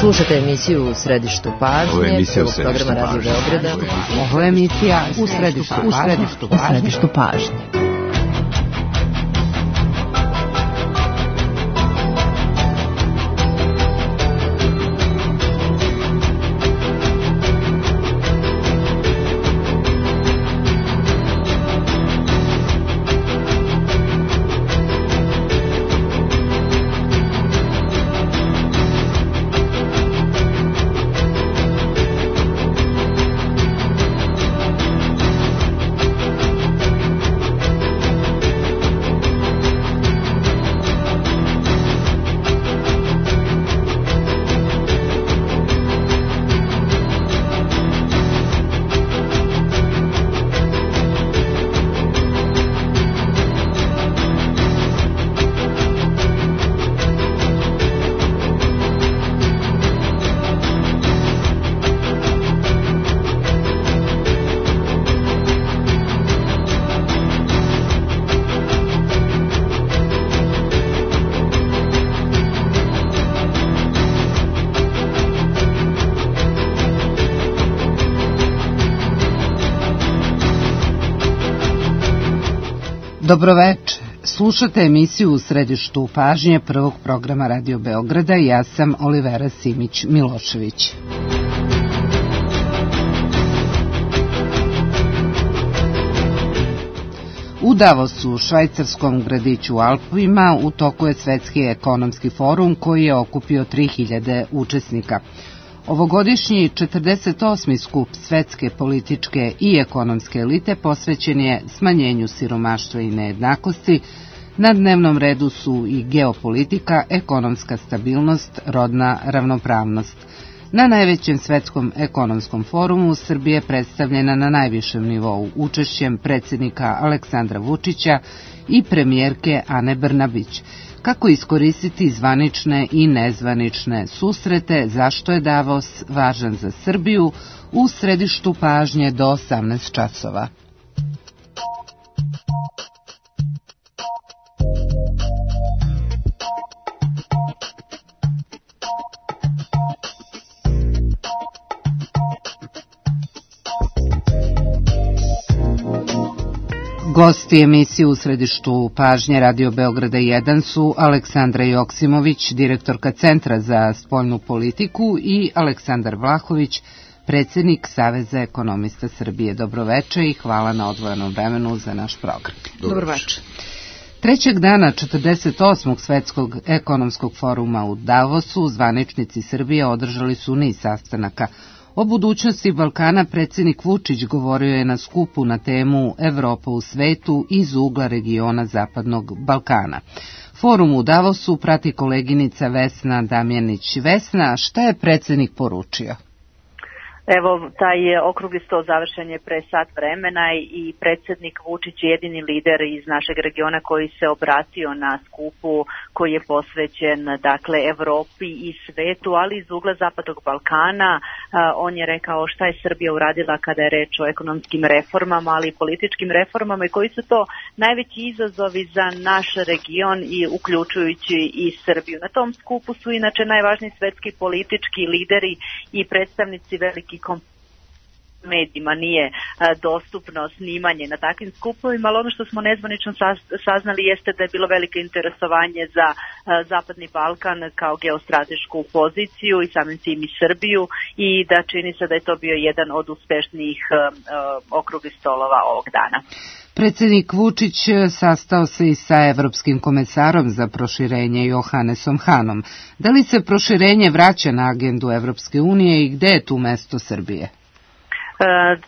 Slušate emisiju U središtu pažnje, prvog programa Radio Beograda. Ovo je emisija U središtu pažnje. Dobroveče. Slušate emisiju U središtu pažnje prvog programa Radio Beograda i ja sam Olivera Simić-Milošević. U Davosu, švajcarskom gradiću u Alpima, u toku je Svetski ekonomski forum koji je okupio 3000 učesnika. Ovogodišnji 48. skup svetske političke i ekonomske elite posvećen je smanjenju siromaštva i nejednakosti. Na dnevnom redu su i geopolitika, ekonomska stabilnost, rodna ravnopravnost. Na najvećem svetskom ekonomskom forumu Srbija je predstavljena na najvišem nivou učešćem predsjednika Aleksandra Vučića i premijerke Ane Brnabić. Kako iskoristiti zvanične i nezvanične susrete, zašto je Davos važan za Srbiju, u središtu pažnje do 18 časova. Gosti emisije U središtu pažnje Radio Beograda 1 su Aleksandra Joksimović, direktorka Centra za spoljnu politiku, i Aleksandar Vlahović, predsjednik Saveza ekonomista Srbije. Dobroveče i hvala na odvojenom vremenu za naš program. Dobroveče. Trećeg dana 48. svetskog ekonomskog foruma u Davosu zvaničnici Srbije održali su niz sastanaka. O budućnosti Balkana predsjednik Vučić govorio je na skupu na temu Evropa u svetu iz ugla regiona Zapadnog Balkana. Forum u Davosu prati koleginica Vesna Damjanić. Vesna, šta je predsjednik poručio? Evo, taj okrugli sto završen je pre sat vremena i predsjednik Vučić je jedini lider iz našeg regiona koji se obratio na skupu koji je posvećen, dakle, Evropi i svetu, ali iz ugla Zapadnog Balkana. On je rekao šta je Srbija uradila kada je reč o ekonomskim reformama, ali i političkim reformama i koji su to najveći izazovi za naš region i uključujući i Srbiju. Na tom skupu su inače najvažniji svetski politički lideri i predstavnici velikih medijima, nije dostupno snimanje na takvim skupovima, ali ono što smo nezvanično saznali jeste da je bilo veliko interesovanje za Zapadni Balkan kao geostratešku poziciju i samim tim i Srbiju, i da čini se da je to bio jedan od uspešnijih okruglih stolova ovog dana. Predsjednik Vučić sastao se i sa evropskim komesarom za proširenje Johannesom Hanom. Da li se proširenje vraća na agendu Evropske unije i gde je tu mesto Srbije?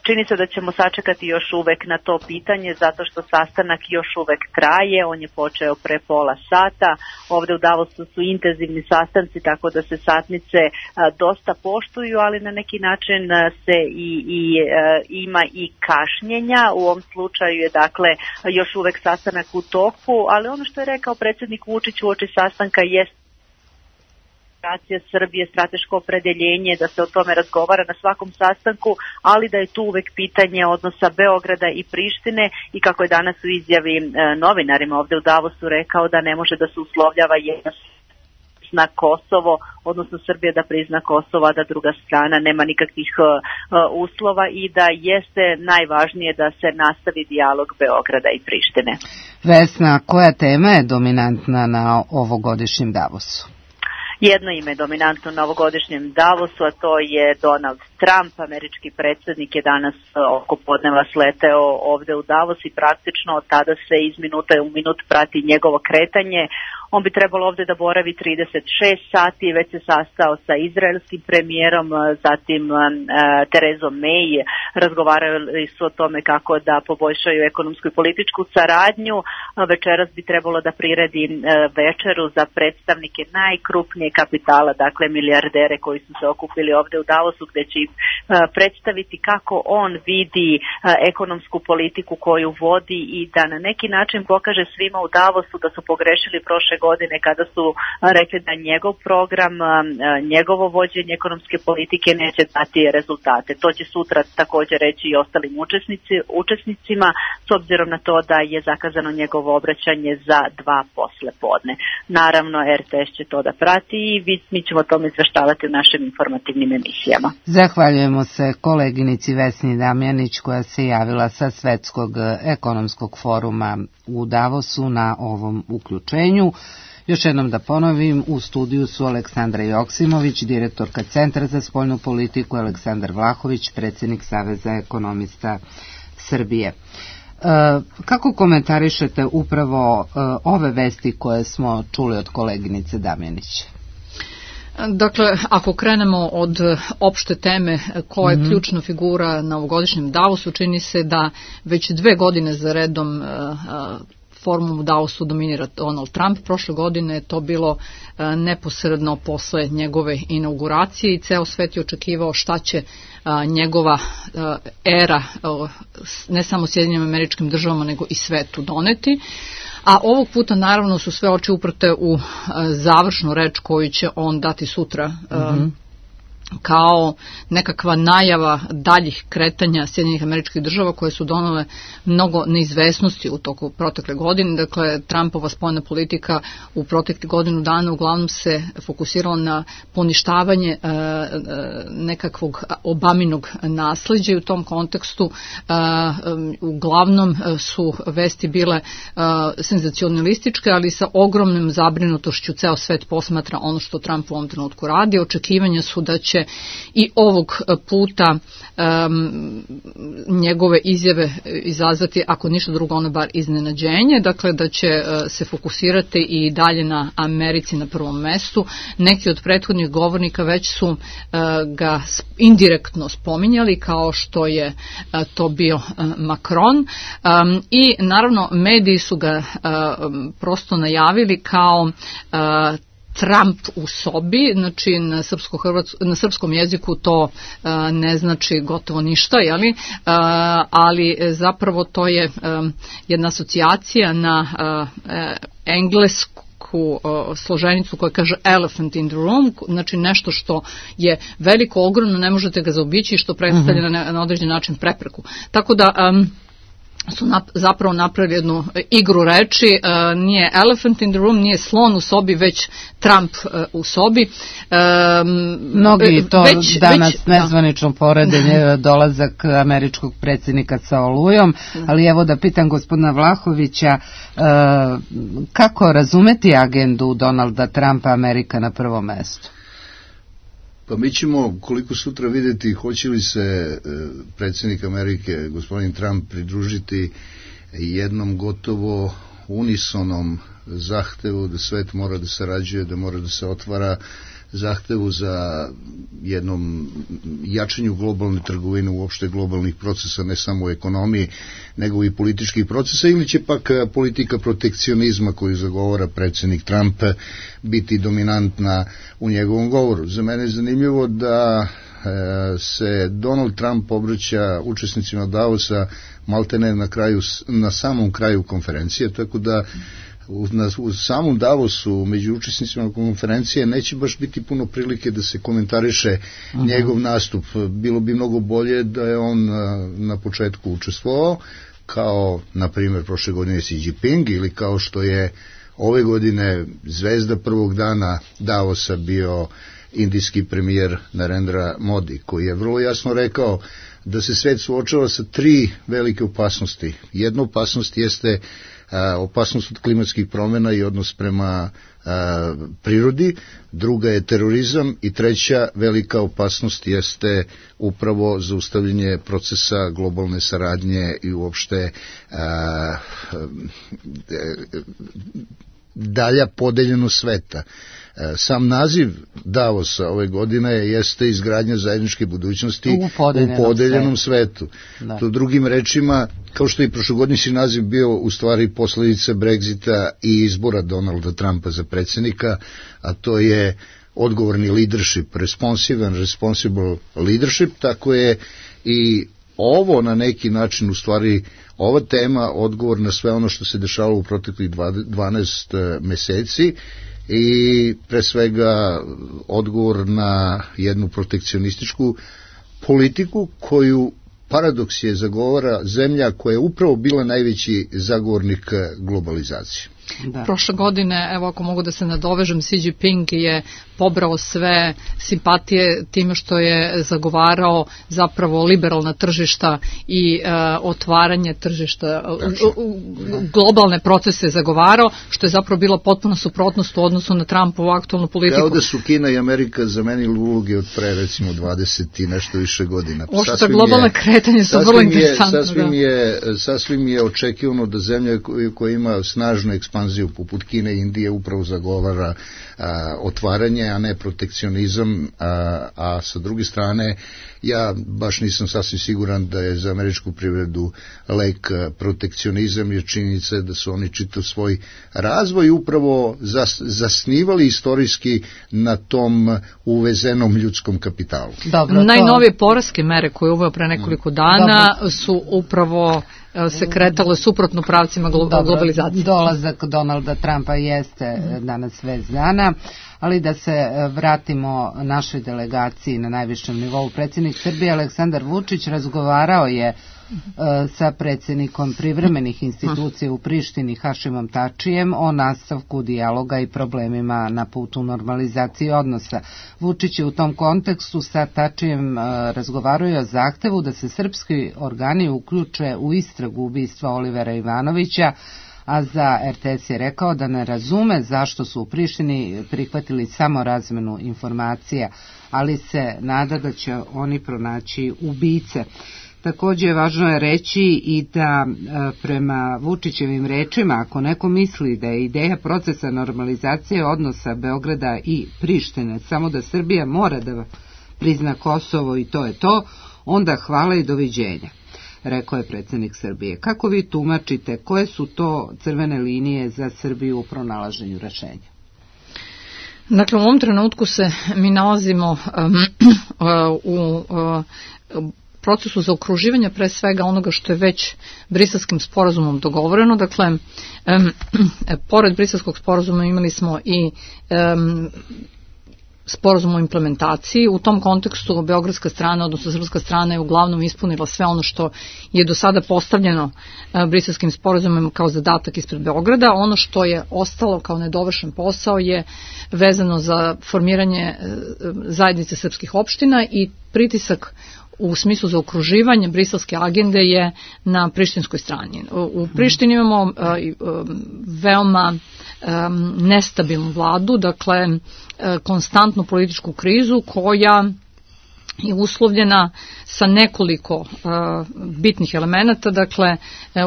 Čini se da ćemo sačekati još uvek na to pitanje, zato što sastanak još uvek traje. On je počeo pre pola sata. Ovde u Davosu su intenzivni sastanci, tako da se satnice dosta poštuju, ali na neki način se ima i kašnjenja. U ovom slučaju je, dakle, još uvek sastanak u toku, ali ono što je rekao predsjednik Vučić uoči sastanka jest Srbije, strateško opredeljenje, da se o tome razgovara na svakom sastanku, ali da je tu uvek pitanje odnosa Beograda i Prištine, i kako je danas u izjavi novinarima ovde u Davosu rekao da ne može da se uslovljava jedna prizna Kosovo, odnosno Srbija da prizna Kosovo, a da druga strana nema nikakvih uslova i da jeste najvažnije da se nastavi dijalog Beograda i Prištine. Vesna, koja tema je dominantna na ovogodišnjem Davosu? Jedno ime je dominantno na ovogodišnjem Davosu, a to je Donald Trump, američki predsjednik je danas oko podneva sleteo ovde u Davos i praktično od tada se iz minuta u minut prati njegovo kretanje. On bi trebalo ovde da boravi 36 sati, već se sastao sa izraelskim premijerom, zatim Terezom May, razgovarali su o tome kako da poboljšaju ekonomsku i političku saradnju. Večeras bi trebalo da priredi večeru za predstavnike najkrupnije kapitala, dakle milijardere koji su se okupili ovde u Davosu, gde će predstaviti kako on vidi ekonomsku politiku koju vodi i da na neki način pokaže svima u Davosu da su pogrešili prošle godine kada su rekli da njegov program, njegovo vođenje ekonomske politike neće dati rezultate. To će sutra također reći i ostalim učesnicima, s obzirom na to da je zakazano njegovo obraćanje za 2 poslepodne. Naravno, RTS će to da prati i mi ćemo o tome izveštavati u našim informativnim emisijama. Zahvaljujemo se koleginici Vesni Damjanić koja se javila sa Svetskog ekonomskog foruma u Davosu na ovom uključenju. Još jednom da ponovim, u studiju su Aleksandra Joksimović, direktorka Centra za spoljnu politiku, Aleksandar Vlahović, predsjednik Saveza ekonomista Srbije. Kako komentarišete upravo ove vesti koje smo čuli od koleginice Damjanić? Dakle, ako krenemo od opšte teme koja je ključna figura na ovogodišnjem Davosu, čini se da već 2 godine za redom forumom u Davosu dominira Donald Trump. Prošle godine je to bilo neposredno posle njegove inauguracije i ceo svet je očekivao šta će njegova era ne samo Sjedinjenim Američkim Državama nego i svetu doneti. A ovog puta naravno su sve oči uprte u završnu reč koju će on dati sutra kao nekakva najava daljih kretanja Sjedinjenih Američkih Država koje su donele mnogo neizvesnosti u toku protekle godine. Dakle, Trumpova spoljna politika u proteklih godinu dana uglavnom se fokusirala na poništavanje nekakvog Obaminog nasleđa i u tom kontekstu uglavnom su vesti bile senzacionalističke, ali sa ogromnom zabrinutošću ceo svet posmatra ono što Trump u ovom trenutku radi. Očekivanja su da će i ovog puta njegove izjave izazvati, ako ništa drugo, ono bar iznenađenje, dakle da će se fokusirati i dalje na Americi na prvom mestu. Neki od prethodnih govornika već su ga indirektno spominjali, kao što je to bio Macron, i naravno mediji su ga prosto najavili kao Trump u sobi, znači na srpskom jeziku to ne znači gotovo ništa, jeli? Ali zapravo to je jedna asocijacija na englesku složenicu koja kaže elephant in the room, znači nešto što je veliko, ogromno, ne možete ga zaobići i što predstavlja na određen način prepreku. Tako da su zapravo napravili jednu igru reči, nije elephant in the room, nije slon u sobi, već Trump u sobi. Mnogi to danas nezvanično porede dolazak američkog predsjednika sa Olujom, ali evo da pitam gospodina Vlahovića, kako razumeti agendu Donalda Trumpa, Amerika na prvom mestu? Pa mi ćemo, koliko sutra vidjeti, hoće li se predsjednik Amerike, gospodin Trump, pridružiti jednom gotovo unisonom zahtevu da svet mora da sarađuje, da mora da se otvara, zahtevu za jednom jačanju globalne trgovine, uopšte globalnih procesa, ne samo u ekonomiji, nego i političkih procesa, ili će pak politika protekcionizma koju zagovara predsjednik Trump biti dominantna u njegovom govoru. Za mene je zanimljivo da se Donald Trump obraća učesnicima Davosa maltene na samom kraju konferencije, tako da u samom Davosu među učesnicima konferencije neće baš biti puno prilike da se komentariše njegov nastup. Bilo bi mnogo bolje da je on na početku učestvovao, kao na primjer prošle godine Xi Jinping, ili kao što je ove godine zvezda prvog dana Davosa bio indijski premijer Narendra Modi, koji je vrlo jasno rekao da se svet suočava sa 3 velike opasnosti. Jedna opasnost jeste opasnost od klimatskih promjena i odnos prema prirodi, druga je terorizam i treća velika opasnost jeste upravo zaustavljanje procesa globalne saradnje i uopšte dalja podeljenost sveta. Sam naziv Davosa ove godine jeste izgradnja zajedničke budućnosti u podeljenom svetu. Da. To drugim rečima, kao što je i prošlogodišnji naziv bio u stvari posledica Brexita i izbora Donalda Trumpa za predsjednika, a to je odgovorni leadership, responsible leadership, tako je i ovo na neki način u stvari ova tema odgovor na sve ono što se dešavalo u proteklih 12 meseci i pre svega odgovor na jednu protekcionističku politiku koju paradoks je zagovara zemlja koja je upravo bila najveći zagovornik globalizacije. Da. Prošle godine, evo ako mogu da se nadovežem, Xi Jinping je pobrao sve simpatije time što je zagovarao zapravo liberalna tržišta i otvaranje tržišta, globalne procese zagovarao, što je zapravo bila potpuna suprotnost u odnosu na Trumpovu aktualnu politiku. Kao da su Kina i Amerika zamenili uloge od pre recimo 20 i nešto više godina. Ošto globalne kretanje su vrlo interesantne. Sasvim je očekivano da zemlja koja ima snažnu ekspanziju poput Kine i Indije upravo zagovara otvaranje, a ne protekcionizam, a sa druge strane ja baš nisam sasvim siguran da je za američku privredu lek protekcionizam, jer činjenica je da su oni čitav svoj razvoj upravo zasnivali istorijski na tom uvezenom ljudskom kapitalu. Dobro, najnovije poreske mere koje je uveo pre nekoliko dana su upravo se kretalo suprotno pravcima globalizacije. Dolazak Donalda Trumpa jeste danas vez dana, ali da se vratimo našoj delegaciji na najvišem nivou. Predsjednik Srbije Aleksandar Vučić razgovarao je sa predsjednikom privremenih institucija u Prištini Hašimom Tačijem o nastavku dijaloga i problemima na putu normalizacije odnosa. Vučić je u tom kontekstu sa Tačijem razgovarao o zahtevu da se srpski organi uključe u istragu ubistva Olivera Ivanovića, a za RTS je rekao da ne razume zašto su u Prištini prihvatili samo razmenu informacija, ali se nada da će oni pronaći ubice. Također važno je reći i da prema Vučićevim rečima, ako neko misli da je ideja procesa normalizacije odnosa Beograda i Prištine samo da Srbija mora da prizna Kosovo i to je to, onda hvala i doviđenja, rekao je predsjednik Srbije. Kako vi tumačite, koje su to crvene linije za Srbiju u pronalaženju rešenja? Dakle, u ovom trenutku se mi nalazimo u procesu zaokruživanja pre svega onoga što je već Briselskim sporazumom dogovoreno. Dakle, pored Briselskog sporazuma imali smo i sporazum o implementaciji. U tom kontekstu beogradska strana, odnosno srpska strana je uglavnom ispunila sve ono što je do sada postavljeno Briselskim sporazumom kao zadatak ispred Beograda. Ono što je ostalo kao nedovršen posao je vezano za formiranje zajednice srpskih opština i pritisak u smislu zaokruživanja briselske agende je na prištinskoj strani. U Prištini imamo veoma nestabilnu vladu, dakle konstantnu političku krizu koja je uslovljena sa nekoliko bitnih elemenata. Dakle,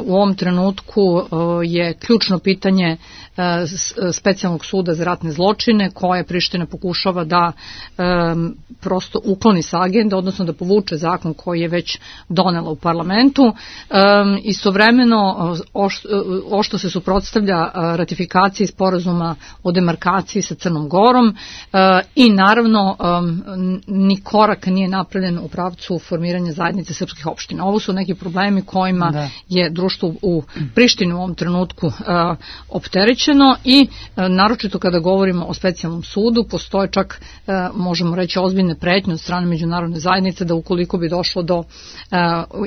u ovom trenutku je ključno pitanje specijalnog suda za ratne zločine koje Priština pokušava da prosto ukloni sa agende, odnosno da povuče zakon koji je već donela u parlamentu. Istovremeno ošto se suprotstavlja ratifikaciji sporazuma o demarkaciji sa Crnom Gorom i naravno ni korak nije napravljen u pravcu formiranja zajednice srpskih opština. Ovo su neki problemi kojima je društvo u Prištini u ovom trenutku opterećeno i naročito kada govorimo o specijalnom sudu, postoje čak, možemo reći, ozbiljne pretnje od strane međunarodne zajednice da ukoliko bi došlo do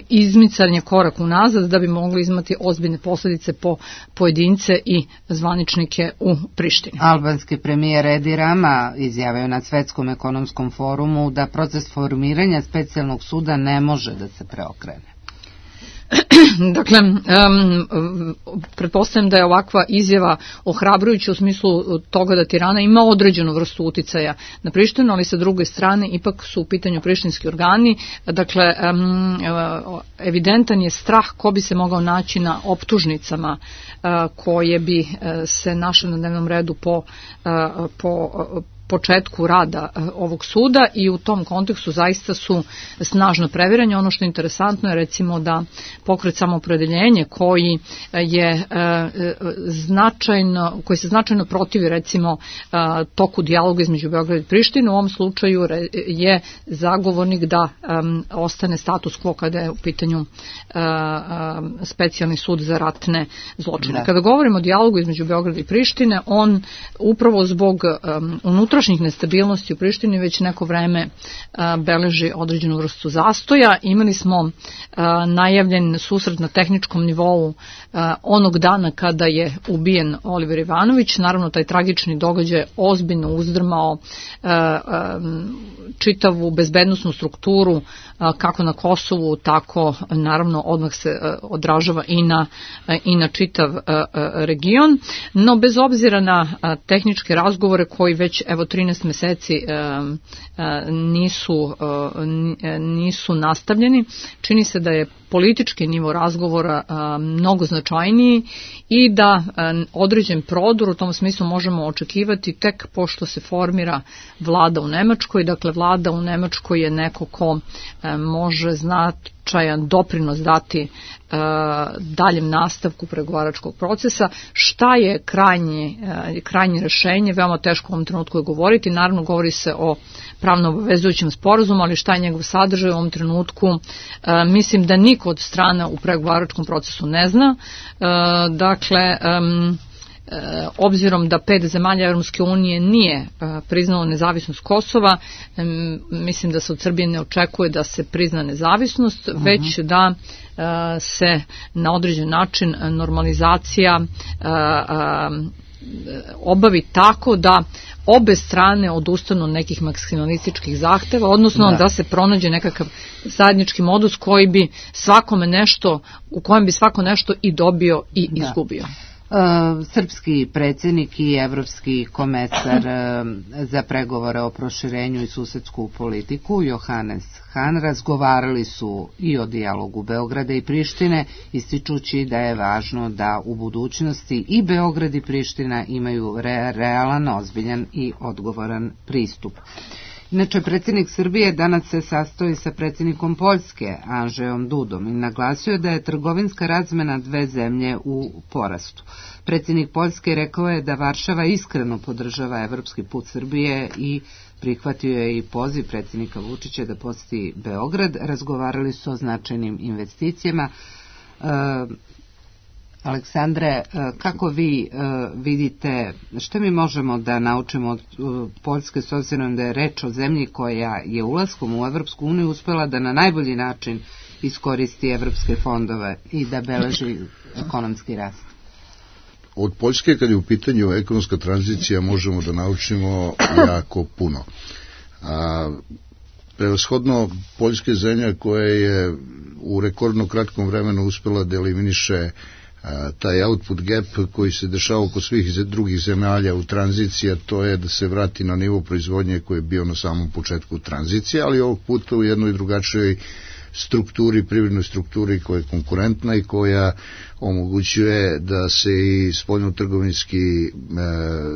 izmicanja korak unazad, da bi mogli imati ozbiljne posljedice po pojedince i zvaničnike u Prištini. Albanski premijer Edi Rama izjavio na Svetskom ekonomskom forumu da proces formiranja specijalnog suda ne može da se preokrene. Dakle, pretpostavljam da je ovakva izjava ohrabrujuća u smislu toga da Tirana ima određenu vrstu uticaja na Prištinu, ali sa druge strane ipak su u pitanju prištinski organi. Dakle, evidentan je strah ko bi se mogao naći na optužnicama koje bi se našle na dnevnom redu po početku rada ovog suda i u tom kontekstu zaista su snažno previranje. Ono što je interesantno je recimo da pokret Samoopredeljenje koji se značajno protivi recimo toku dijaloga između Beograda i Prištine, u ovom slučaju je zagovornik da ostane status quo kada je u pitanju specijalni sud za ratne zločine. Kada govorimo o dijalogu između Beograda i Prištine, on upravo zbog unutrašnjih nestabilnosti u Prištini već neko vreme beleži određenu vrstu zastoja. Imali smo najavljen susret na tehničkom nivou onog dana kada je ubijen Oliver Ivanović. Naravno, taj tragični događaj ozbiljno uzdrmao čitavu bezbednosnu strukturu kako na Kosovu, tako naravno odmah se odražava i na čitav region. No, bez obzira na tehničke razgovore koji već 13 meseci nisu nastavljeni, čini se da je politički nivo razgovora mnogo značajniji i da određen prodor u tom smislu možemo očekivati tek pošto se formira vlada u Nemačkoj. Dakle, vlada u Nemačkoj je neko ko može značajan doprinos dati daljem nastavku pregovaračkog procesa. Šta je krajnje rešenje, veoma teško u ovom trenutku je govoriti. Naravno, govori se o pravno obavezujućem sporazumu, ali šta je njegov sadržaj u ovom trenutku, mislim da niko od strana u pregovaračkom procesu ne zna. Dakle, obzirom da 5 zemalja Evropske unije nije priznalo nezavisnost Kosova, mislim da se od Srbije ne očekuje da se prizna nezavisnost, već da se na određen način normalizacija obavi tako da obe strane odustanu od nekih maksimalističkih zahteva, odnosno da se pronađe nekakav zajednički modus koji bi svakome nešto, u kojem bi svako nešto i dobio i izgubio. Srpski predsjednik i evropski komesar za pregovore o proširenju i susedsku politiku Johannes Hahn razgovarali su i o dijalogu Beograda i Prištine, ističući da je važno da u budućnosti i Beograd i Priština imaju realan, ozbiljan i odgovoran pristup. Inače, predsjednik Srbije danas se sastoji sa predsjednikom Poljske, Andrzejom Dudom, i naglasio da je trgovinska razmena dve zemlje u porastu. Predsjednik Poljske rekao je da Varšava iskreno podržava evropski put Srbije i prihvatio je i poziv predsjednika Vučića da posjeti Beograd. Razgovarali su o značajnim investicijama. Aleksandre, kako vi vidite, što mi možemo da naučimo od Poljske, s obzirom da je reč o zemlji koja je ulaskom u Evropsku uniju uspela da na najbolji način iskoristi evropske fondove i da beleži ekonomski rast? Od Poljske, kad je u pitanju ekonomska tranzicija, možemo da naučimo jako puno. Prevashodno, Poljska je zemlja koja je u rekordno kratkom vremenu uspela da eliminiše taj output gap koji se dešava kod svih drugih zemalja u tranziciji, a to je da se vrati na nivo proizvodnje koji je bio na samom početku tranzicije, ali ovog puta u jednoj drugačijoj strukturi, privrednoj strukturi koja je konkurentna i koja omogućuje da se i spoljnotrgovinski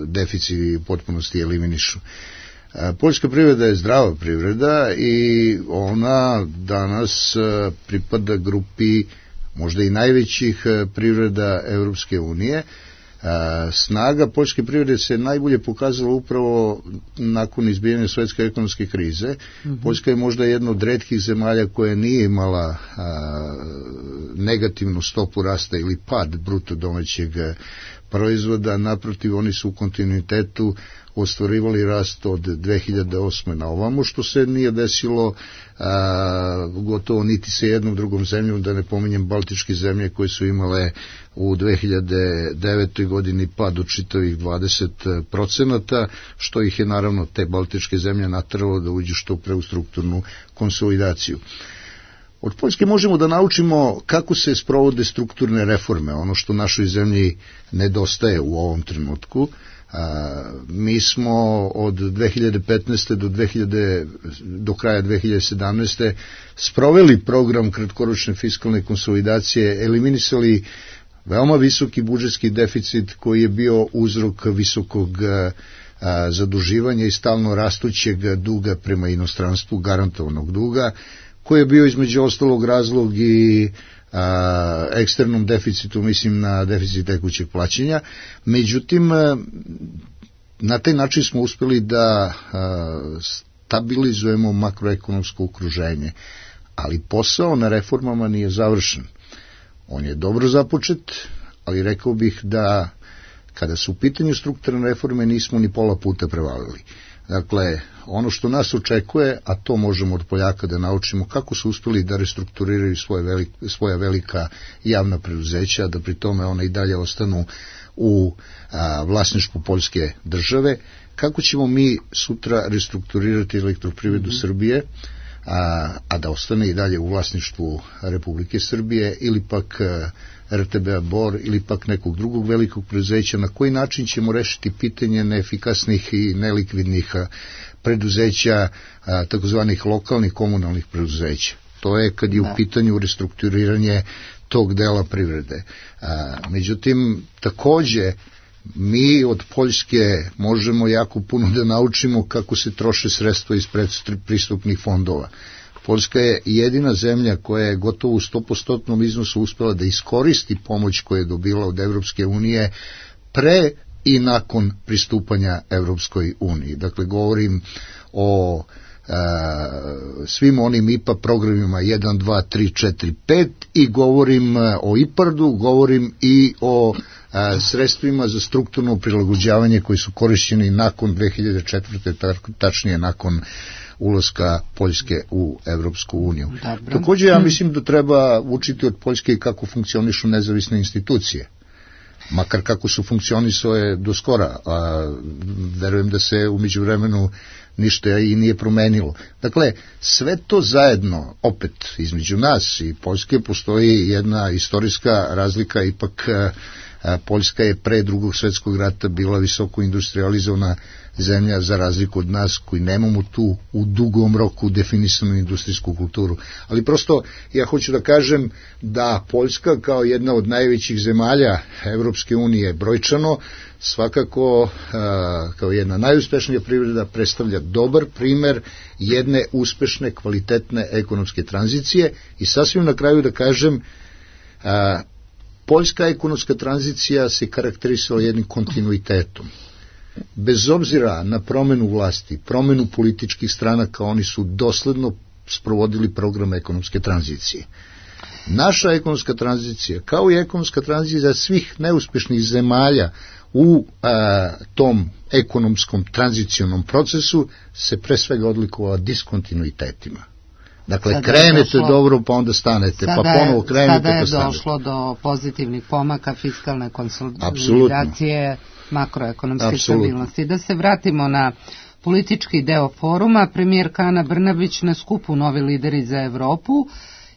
deficiti u potpunosti eliminišu. Poljska privreda je zdrava privreda i ona danas pripada grupi možda i najvećih privreda Evropske unije. Snaga poljske privrede se najbolje pokazala upravo nakon izbijanja svetske ekonomske krize. Poljska je možda jedna od retkih zemalja koja nije imala negativnu stopu rasta ili pad bruto domaćeg proizvoda, naprotiv oni su u kontinuitetu ostvarivali rast od 2008. na ovamo, što se nije desilo gotovo niti sa jednom drugom zemljom, da ne pominjem baltičke zemlje koje su imale u 2009. godini pad od čitavih 20%, što ih je naravno te baltičke zemlje nateralo da uđu što pre u strukturnu konsolidaciju. Od Poljske možemo da naučimo kako se sprovode strukturne reforme, ono što našoj zemlji nedostaje u ovom trenutku. Mi smo od 2015. do kraja 2017. sproveli program kratkoročne fiskalne konsolidacije, eliminisali veoma visoki budžetski deficit koji je bio uzrok visokog zaduživanja i stalno rastućeg duga prema inostranstvu, garantovanog duga, koji je bio između ostalog razlog i eksternom deficitu, mislim na deficit tekućeg plaćanja. Međutim, na taj način smo uspeli da stabilizujemo makroekonomsko okruženje, ali posao na reformama nije završen. On je dobro započet, ali rekao bih da kada su u pitanju strukturne reforme nismo ni pola puta prevalili. Dakle, ono što nas očekuje, a to možemo od Poljaka da naučimo, kako su uspeli da restrukturiraju svoja velika javna preduzeća, da pri tome ona i dalje ostanu u vlasništvu Poljske države, kako ćemo mi sutra restrukturirati Elektroprivredu Srbije, a da ostane i dalje u vlasništvu Republike Srbije ili pak RTB-a Bor ili pak nekog drugog velikog preduzeća, na koji način ćemo rešiti pitanje neefikasnih i nelikvidnih preduzeća, takozvanih lokalnih komunalnih preduzeća. To je kad je u pitanju restrukturiranje tog dela privrede. Međutim, takođe, mi od Poljske možemo jako puno da naučimo kako se troše sredstva iz predpristupnih fondova. Poljska je jedina zemlja koja je gotovo u 100% iznosu uspela da iskoristi pomoć koju je dobila od Evropske unije pre i nakon pristupanja Evropskoj uniji. Dakle, govorim o svim onim IPA programima 1, 2, 3, 4, 5 i govorim o IPARD-u, govorim i o sredstvima za strukturno prilagođavanje koji su korišćeni nakon 2004. tačnije nakon ulaska Poljske u Evropsku uniju. Također ja mislim da treba učiti od Poljske kako funkcionišu nezavisne institucije, makar kako su funkcionisale do skora, a verujem da se u međuvremenu ništa i nije promenilo. Dakle, sve to zajedno, opet, između nas i Poljske postoji jedna istorijska razlika, ipak Poljska je pre Drugog svjetskog rata bila visoko industrializovana zemlja za razliku od nas koji nemamo tu u dugom roku definisanu industrijsku kulturu. Ali prosto ja hoću da kažem da Poljska kao jedna od najvećih zemalja Evropske unije brojčano svakako kao jedna najuspešnija privreda predstavlja dobar primer jedne uspešne, kvalitetne ekonomske tranzicije i sasvim na kraju da kažem poljska ekonomska tranzicija se karakterisala jednim kontinuitetom. Bez obzira na promenu vlasti, promenu političkih stranaka, oni su dosledno sprovodili program ekonomske tranzicije. Naša ekonomska tranzicija, kao i ekonomska tranzicija svih neuspešnih zemalja u tom ekonomskom tranzicionom procesu, se pre svega odlikovala diskontinuitetima. Dakle, krenete dobro, pa onda stanete, pa ponovo krenete, pa stanete. Sada je došlo do pozitivnih pomaka, fiskalne konsolidacije, makroekonomske stabilnosti. Da se vratimo na politički deo foruma, premijerka Ana Brnabić na skupu Novi lideri za Evropu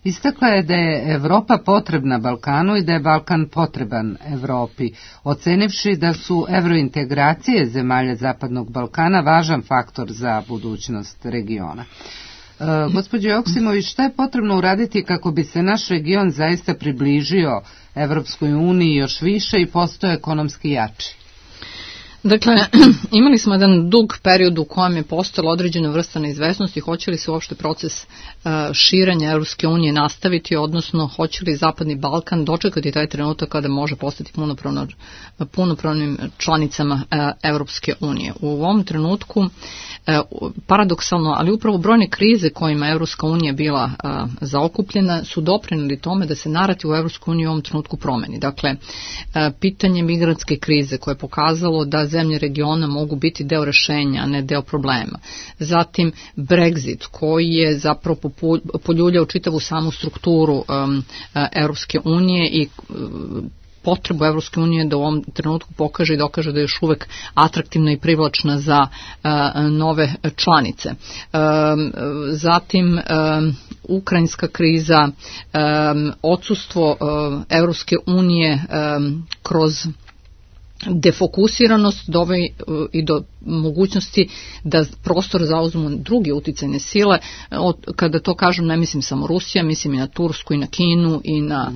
istakla je da je Evropa potrebna Balkanu i da je Balkan potreban Evropi, ocenivši da su evrointegracije zemalja Zapadnog Balkana važan faktor za budućnost regiona. Gospođo Joksimović, šta je potrebno uraditi kako bi se naš region zaista približio Evropskoj uniji još više i postao ekonomski jači? Dakle, imali smo jedan dug period u kojem je postojala određena vrsta neizvesnosti, hoće li se uopšte proces širenja Europske unije nastaviti, odnosno hoće li Zapadni Balkan dočekati taj trenutak kada može postati punopravnim članicama Europske unije. U ovom trenutku, paradoksalno, ali upravo brojne krize kojima Europska unija bila zaokupljena su doprinijeli tome da se narativ u Europskoj uniji u ovom trenutku promeni. Dakle, pitanje migrantske krize koje je pokazalo da zemlje regiona mogu biti deo rešenja, a ne deo problema. Zatim Brexit koji je zapravo poljuljao čitavu samu strukturu Europske unije i potrebu Evropske unije da u ovom trenutku pokaže i dokaže da je još uvek atraktivna i privlačna za nove članice. Zatim ukrajinska kriza, odsustvo Evropske unije kroz defokusiranost i do mogućnosti da prostor zauzmu druge uticajne sile. Kada to kažem, ne mislim samo Rusija, mislim i na Tursku i na Kinu i na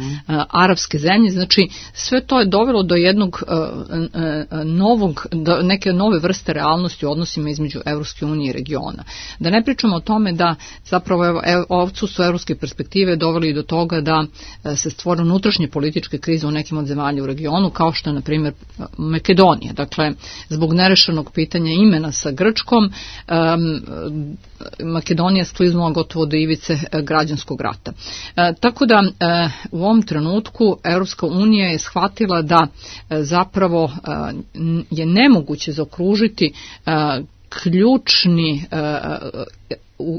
arapske zemlje. Znači, sve to je dovelo do jednog neke nove vrste realnosti u odnosima između Evropske unije i regiona. Da ne pričamo o tome da zapravo odsustvo evropske perspektive doveli do toga da se stvore unutrašnje političke krize u nekim od zemalja u regionu, kao što je, na primjer, Makedonija. Dakle, zbog nerešenog pitanja imena sa Grčkom, Makedonija skliznula gotovo do ivice građanskog rata. Tako da u ovom trenutku Europska unija je shvatila da zapravo je nemoguće zaokružiti ključni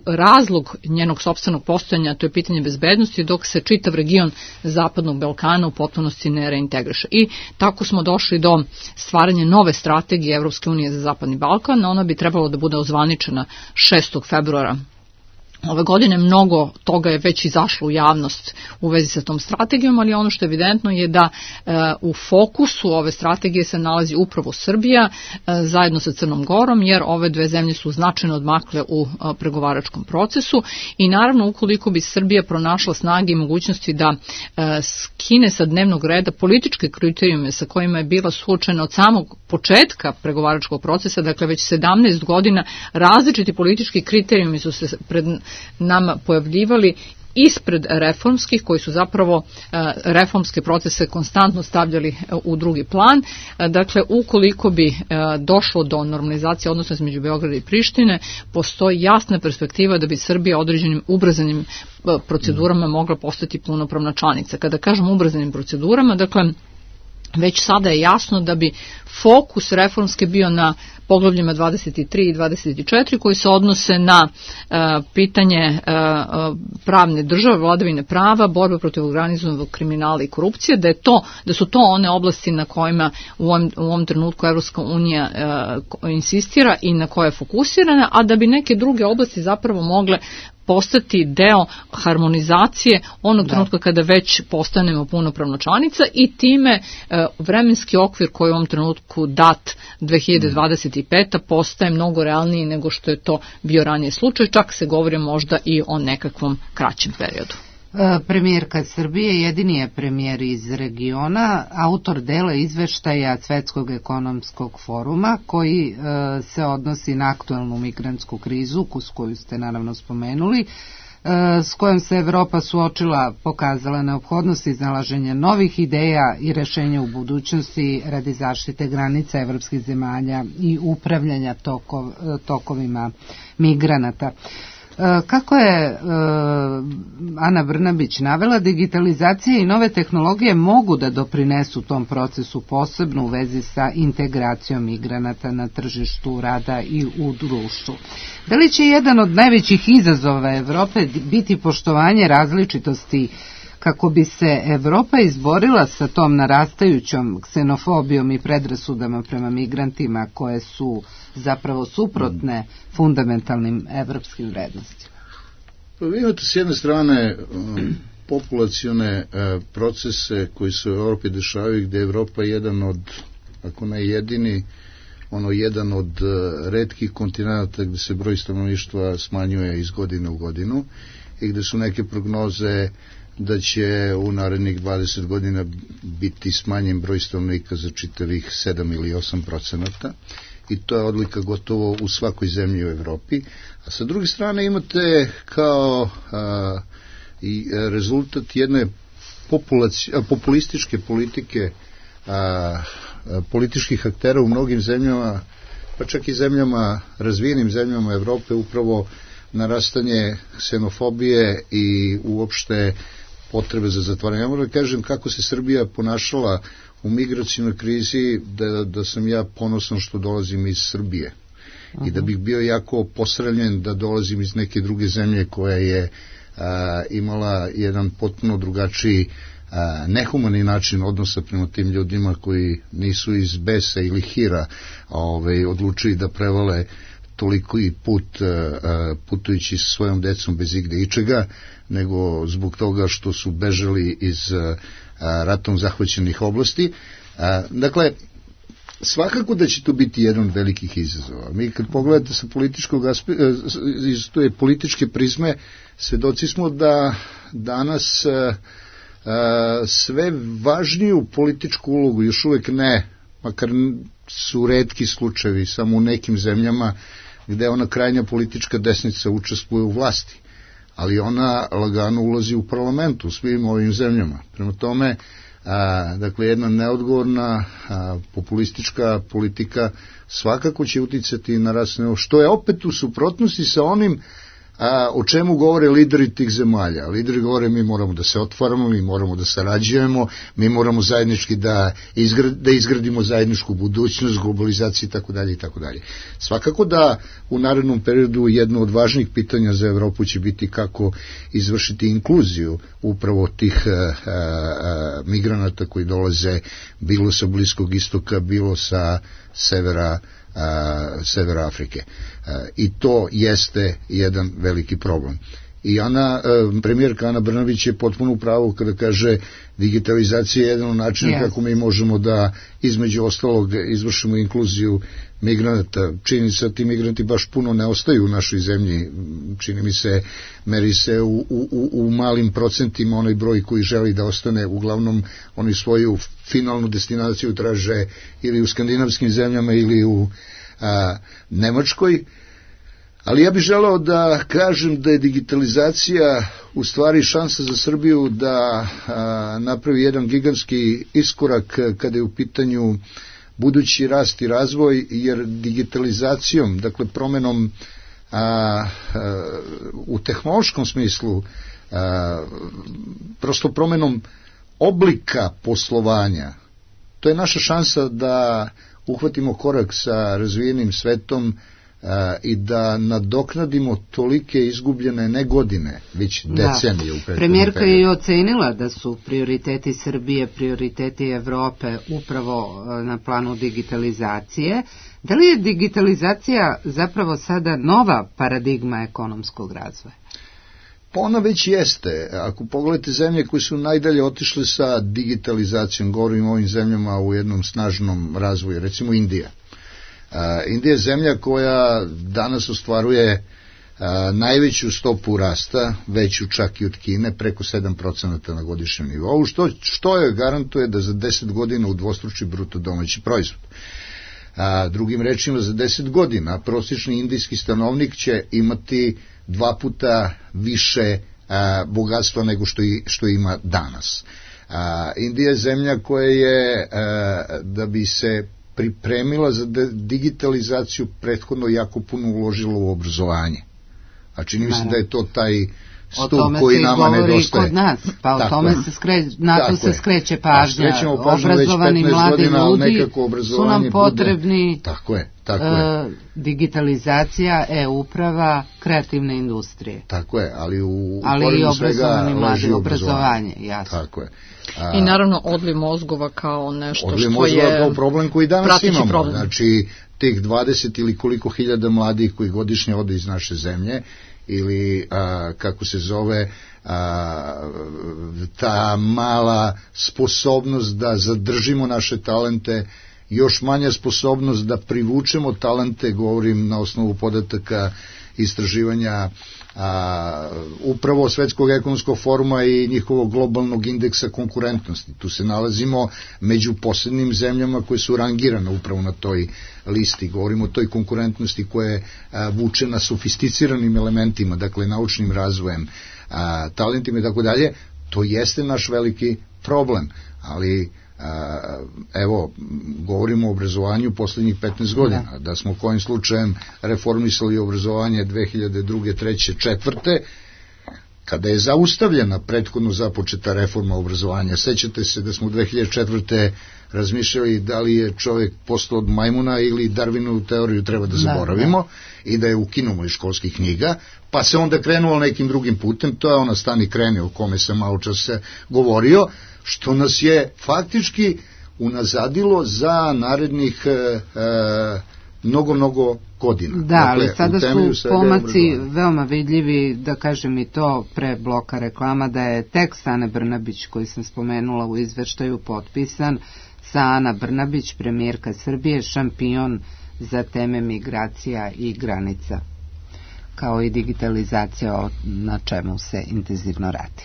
razlog njenog sopstvenog postojanja, to je pitanje bezbednosti, dok se čitav region Zapadnog Balkana u potpunosti ne reintegriše. I tako smo došli do stvaranja nove strategije Evropske unije za Zapadni Balkan. Ona bi trebalo da bude ozvaničena 6. februara ove godine. Mnogo toga je već izašlo u javnost u vezi sa tom strategijom, ali ono što je evidentno je da u fokusu ove strategije se nalazi upravo Srbija zajedno sa Crnom Gorom, jer ove dve zemlje su značajno odmakle u pregovaračkom procesu i naravno ukoliko bi Srbija pronašla snage i mogućnosti da skine sa dnevnog reda političke kriterijume sa kojima je bila suočena od samog početka pregovaračkog procesa, dakle već 17 godina različiti politički kriterijumi su se pred nama pojavljivali ispred reformskih, koji su zapravo reformske procese konstantno stavljali u drugi plan. Dakle, ukoliko bi došlo do normalizacije odnosa između Beograda i Prištine, postoji jasna perspektiva da bi Srbija određenim ubrzanim procedurama mogla postati punopravna članica. Kada kažem ubrzanim procedurama, dakle, već sada je jasno da bi fokus reformske bio na poglavljima 23 i 24 koji se odnose na pitanje pravne države, vladavine prava, borbe protiv organizovanog kriminala i korupcije, da su to one oblasti na kojima u ovom trenutku Evropska unija insistira i na koje je fokusirana, a da bi neke druge oblasti zapravo mogle postati deo harmonizacije onog trenutka kada već postanemo punopravna članica i time vremenski okvir koji je u ovom trenutku dat 2025. postaje mnogo realniji nego što je to bio ranije slučaj, čak se govori možda i o nekakvom kraćem periodu. Premijerka Srbije jedini je premijer iz regiona, autor dela izveštaja Svetskog ekonomskog foruma koji se odnosi na aktuelnu migrantsku krizu koju ste naravno spomenuli, s kojom se Evropa suočila, pokazala neophodnost iznalaženja novih ideja i rešenja u budućnosti radi zaštite granica evropskih zemalja i upravljanja tokovima migranata. Kako je Ana Brnabić navela, digitalizacija i nove tehnologije mogu da doprinesu tom procesu, posebno u vezi sa integracijom migranata na tržištu rada i u društvu. Da li će jedan od najvećih izazova Evrope biti poštovanje različitosti kako bi se Evropa izborila sa tom narastajućom ksenofobijom i predrasudama prema migrantima koje su zapravo suprotne fundamentalnim evropskim vrednostima? Vi imate s jedne strane populacione procese koji se u Evropi dešavaju, gde je Evropa jedan od, ako ne jedini, jedan od retkih kontinenta gde se broj stanovništva smanjuje iz godine u godinu i gde su neke prognoze da će u narednih 20 godina biti smanjen broj stanovnika za čitavih 7 ili 8%, i to je odlika gotovo u svakoj zemlji u Evropi. A sa druge strane imate kao i rezultat jedne populističke politike političkih aktera u mnogim zemljama, pa čak i zemljama, razvijenim zemljama Evrope, upravo narastanje ksenofobije i uopšte potrebe za zatvaranje. Ja moram da kažem kako se Srbija ponašala u migracijnoj krizi, da sam ja ponosan što dolazim iz Srbije. I da bih bio jako posramljen da dolazim iz neke druge zemlje koja je imala jedan potpuno drugačiji nehumani način odnosa prema tim ljudima koji nisu iz besa ili hira odlučili da prevale toliko i putujući sa svojom decom bez igde ičega, nego zbog toga što su bežali iz ratom zahvaćenih oblasti. Dakle, svakako da će to biti jedan od velikih izazova. Mi kad pogledate sa političkog iz te političke prizme, svedoci smo da danas sve važniju političku ulogu, još uvek ne, makar su retki slučajevi, samo u nekim zemljama gde ona krajnja politička desnica učestvuje u vlasti, ali ona lagano ulazi u parlamentu u svim ovim zemljama. Prema tome, dakle, jedna neodgovorna populistička politika svakako će uticati na rasno, što je opet u suprotnosti sa onim o čemu govore lideri tih zemalja. Lideri govore mi moramo da se otvaramo, mi moramo da sarađujemo, mi moramo zajednički da izgradimo zajedničku budućnost, globalizaciju itd. itd. Svakako da u narednom periodu jedno od važnih pitanja za Evropu će biti kako izvršiti inkluziju upravo tih migranata koji dolaze bilo sa Bliskog istoka, bilo sa severa Afrike. I to jeste jedan veliki problem. I premijerka Ana Brnabić je potpuno u pravu kada kaže digitalizacija je jedan od načina kako mi možemo da između ostalog izvršimo inkluziju migranata. Čini se da ti migranti baš puno ne ostaju u našoj zemlji, čini mi se, meri se u malim procentima onaj broj koji želi da ostane, uglavnom oni svoju finalnu destinaciju traže ili u skandinavskim zemljama ili u Nemačkoj. Ali ja bih želeo da kažem da je digitalizacija u stvari šansa za Srbiju da napravi jedan gigantski iskorak kada je u pitanju budući rast i razvoj, jer digitalizacijom, dakle promenom u tehnološkom smislu, prosto promenom oblika poslovanja, to je naša šansa da uhvatimo korak sa razvijenim svetom i da nadoknadimo tolike izgubljene ne godine, već decenije u prethodnom periodu. Premijerka je i ocenila da su prioriteti Srbije, prioriteti Evrope upravo na planu digitalizacije. Da li je digitalizacija zapravo sada nova paradigma ekonomskog razvoja? Pa ona već jeste. Ako pogledate zemlje koje su najdalje otišle sa digitalizacijom, govorim o ovim zemljama u jednom snažnom razvoju, recimo Indija. Indija je zemlja koja danas ostvaruje najveću stopu rasta, veću čak i od Kine, preko 7% na godišnjem nivou, što je garantuje da za 10 godina udvostruči bruto domaći proizvod. Drugim rečima, za 10 godina prosječni indijski stanovnik će imati 2 puta više bogatstva nego što ima danas. Indija je zemlja koja je, da bi se pripremila za digitalizaciju, prethodno jako puno uložila u obrazovanje. A čini mi se da je to taj stup koji nama nedostaje. Kod nas, pa o tome se skreće pažnja. Obrazovani mladi ljudi su nam potrebni. Tako je. Digitalizacija, e-uprava, kreativne industrije. Tako je, ali u korenu svega leži obrazovanje. Tako je. I naravno odliv mozgova kao nešto što je odliv mozgova kao problem koji danas imamo. Znači, tih 20 ili koliko hiljada mladih koji godišnje ode iz naše zemlje, ili kako se zove ta mala sposobnost da zadržimo naše talente još manja sposobnost da privučemo talente, govorim na osnovu podataka istraživanja upravo Svetskog ekonomskog foruma i njihovog globalnog indeksa konkurentnosti. Tu se nalazimo među poslednjim zemljama koje su rangirane upravo na toj listi. Govorimo o toj konkurentnosti koja je vučena sofisticiranim elementima, dakle naučnim razvojem, talentima i tako dalje. To jeste naš veliki problem, ali evo, govorimo o obrazovanju poslednjih 15 godina, da smo kojim slučajem reformisali obrazovanje 2002. 3. 4. kada je zaustavljena prethodno započeta reforma obrazovanja. Sećate se da smo 2004. razmišljali da li je čovjek postao od majmuna ili Darwinovu teoriju treba da zaboravimo i da je ukinumo iz školskih knjiga, pa se onda krenulo nekim drugim putem. To je ona stani krene o kome sam malo čas govorio, što nas je faktički unazadilo za narednih mnogo godina. Da, dakle, ali sada su pomaci veoma vidljivi, da kažem i to pre bloka reklama, da je tekst Ane Brnabić koji sam spomenula u izveštaju potpisan sa Ana Brnabić, premijerka Srbije, šampion za teme migracija i granica, kao i digitalizacija na čemu se intenzivno radi.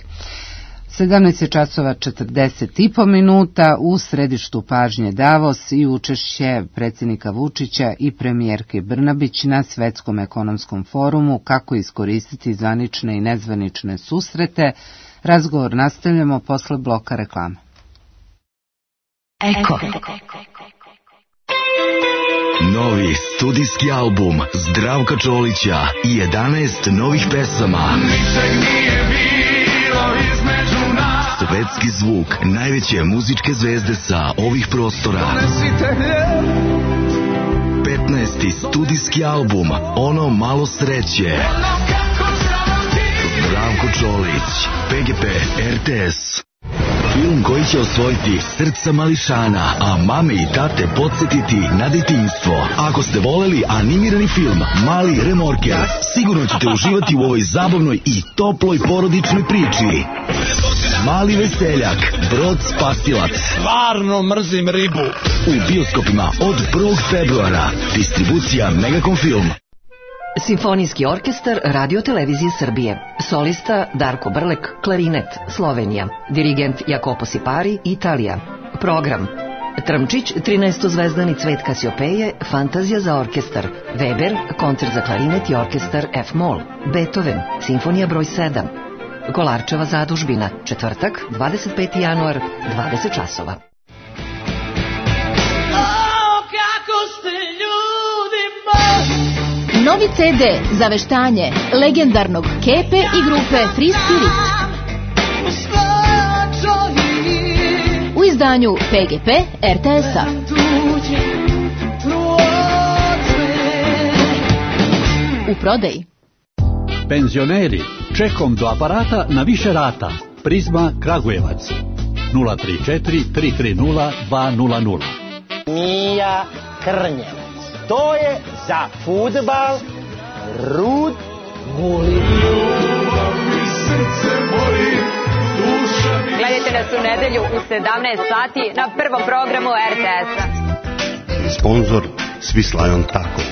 17:40 u središtu pažnje Davos i učešće predsjednika Vučića i premijerke Brnabić na Svetskom ekonomskom forumu, kako iskoristiti zvanične i nezvanične susrete. Razgovor nastavljamo posle bloka reklama. Eko. Novi studijski album Zdravka Čolića i 11 novih pesama. Svetski zvuk najveće muzičke zvezde sa ovih prostora. 15. studijski album Ono malo sreće. Zdravko Čolić, PGP RTS. Film koji će osvojiti srca mališana, a mame i tate podsjetiti na detinjstvo. Ako ste voleli animirani film Mali remorker, sigurno ćete uživati u ovoj zabavnoj i toploj porodičnoj priči. Mali veseljak, Brod spasilac. Stvarno mrzim ribu. U bioskopima od 1. februara. Distribucija Megakom Film. Simfonijski orkestar Radio Televizije Srbije. Solista Darko Brlek, klarinet, Slovenija. Dirigent Jacopo Sipari, Italija. Program: Trmčić, 13-zvezdani Cvet Kasiopeje, Fantazija za orkestar. Weber, koncert za klarinet i orkestar F-moll. Beethoven, Simfonija broj 7. Kolarčeva zadužbina, četvrtak, 25. januar, 20 časova. Novi CD za veštanje legendarnog Kepe i grupe Free Spirit. U izdanju PGP RTS-a. U prodaji. Penzioneri, čekom do aparata na više rata. Prizma Kragujevac. 034 330 200. Mija Krnjevac. To je za fudbal Rud Guli. Gledajte nas u nedelju u 17 sati na prvom programu RTS-a. Sponzor Svislajon Tako.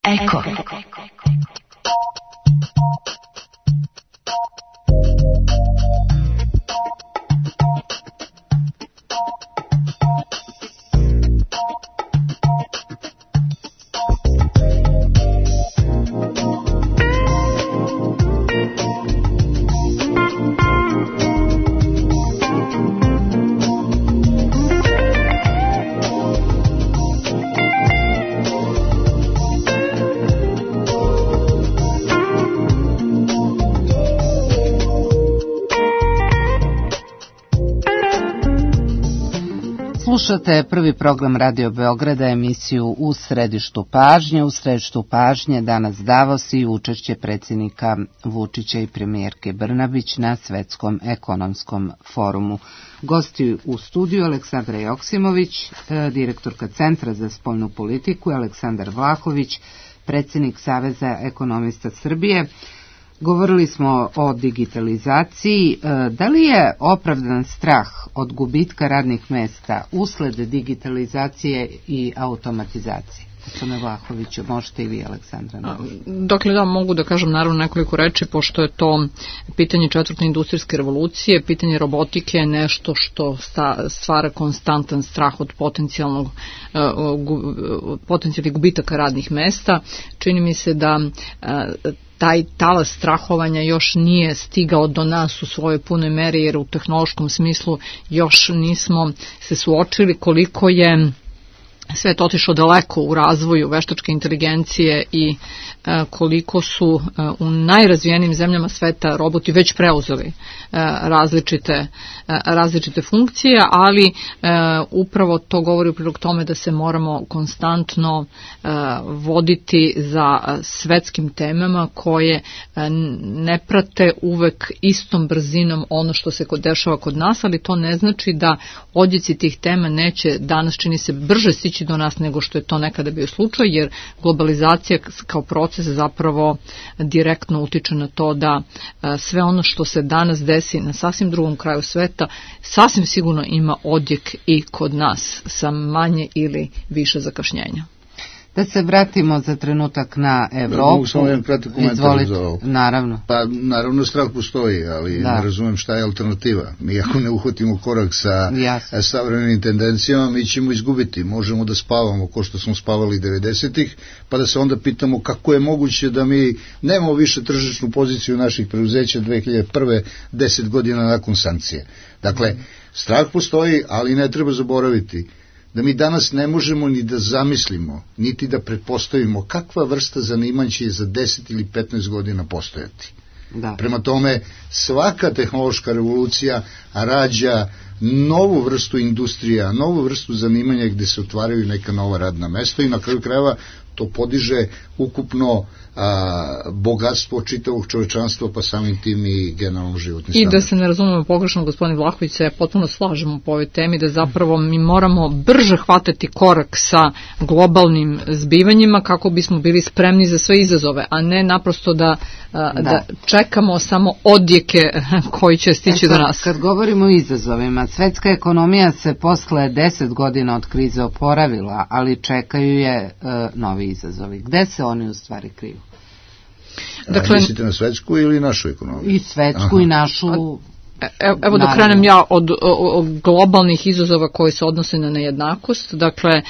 Eko. Slušate prvi program Radio Beograda, emisiju U središtu pažnje. U središtu pažnje danas Davos i učešće predsjednika Vučića i premijerke Brnabić na Svetskom ekonomskom forumu. Gosti u studiju Aleksandra Joksimović, direktorka Centra za spoljnu politiku, Aleksandar Vlahović, predsjednik Saveza ekonomista Srbije. Govorili smo o digitalizaciji. Da li je opravdan strah od gubitka radnih mesta usled digitalizacije i automatizacije? Gospodine Vlahoviću, možete i vi, Aleksandra. Dakle, da, mogu da kažem naravno nekoliko reči, pošto je to pitanje četvrte industrijske revolucije, pitanje robotike je nešto što stvara konstantan strah od potencijalnih gubitaka radnih mesta. Čini mi se da taj talas strahovanja još nije stigao do nas u svojoj punoj meri, jer u tehnološkom smislu još nismo se suočili koliko je svet otišao daleko u razvoju veštačke inteligencije i koliko su u najrazvijenijim zemljama sveta roboti već preuzeli različite funkcije, ali upravo to govori u prilog tome da se moramo konstantno voditi za svetskim temama koje ne prate uvek istom brzinom ono što se dešava kod nas, ali to ne znači da odjeci tih tema neće danas, čini se, brže stići do nas nego što je to nekada bio slučaj, jer globalizacija kao proces zapravo direktno utiče na to da sve ono što se danas desi na sasvim drugom kraju sveta sasvim sigurno ima odjek i kod nas sa manje ili više zakašnjenja. Da se vratimo za trenutak na Evropu. Mogu samo jedan kratak komentar za ovo. Naravno. Pa naravno strah postoji, ali ne razumem šta je alternativa. Mi ako ne uhvatimo korak sa savremenim tendencijama, mi ćemo izgubiti. Možemo da spavamo ko što smo spavali 90-ih, pa da se onda pitamo kako je moguće da mi nemamo više tržišnu poziciju naših preduzeća 2001. 10 godina nakon sankcije. Dakle, strah postoji, ali ne treba zaboraviti da mi danas ne možemo ni da zamislimo, niti da pretpostavimo kakva vrsta zanimanja će za 10 ili 15 godina postojati. Da. Prema tome, svaka tehnološka revolucija rađa novu vrstu industrija, novu vrstu zanimanja gde se otvaraju neka nova radna mesta i na kraju krajeva to podiže ukupno bogatstvo čitavog čovečanstva, pa samim tim i generalno životni standard. I da se ne razumemo pogrešno, gospodin Vlahović, se potpuno slažemo po ovoj temi, da zapravo mi moramo brže hvatati korak sa globalnim zbivanjima kako bismo bili spremni za sve izazove, a ne naprosto da čekamo samo odjeke koji će stići do nas. Kad govorimo o izazovima, svetska ekonomija se posle 10 godina od krize oporavila, ali čekaju je novi izazovi. Gde se oni u stvari kriju? Dakle, mislite na svetsku ili našu ekonomiju? I svetsku i našu. Evo da krenem ja od globalnih izazova koji se odnose na nejednakost. Dakle,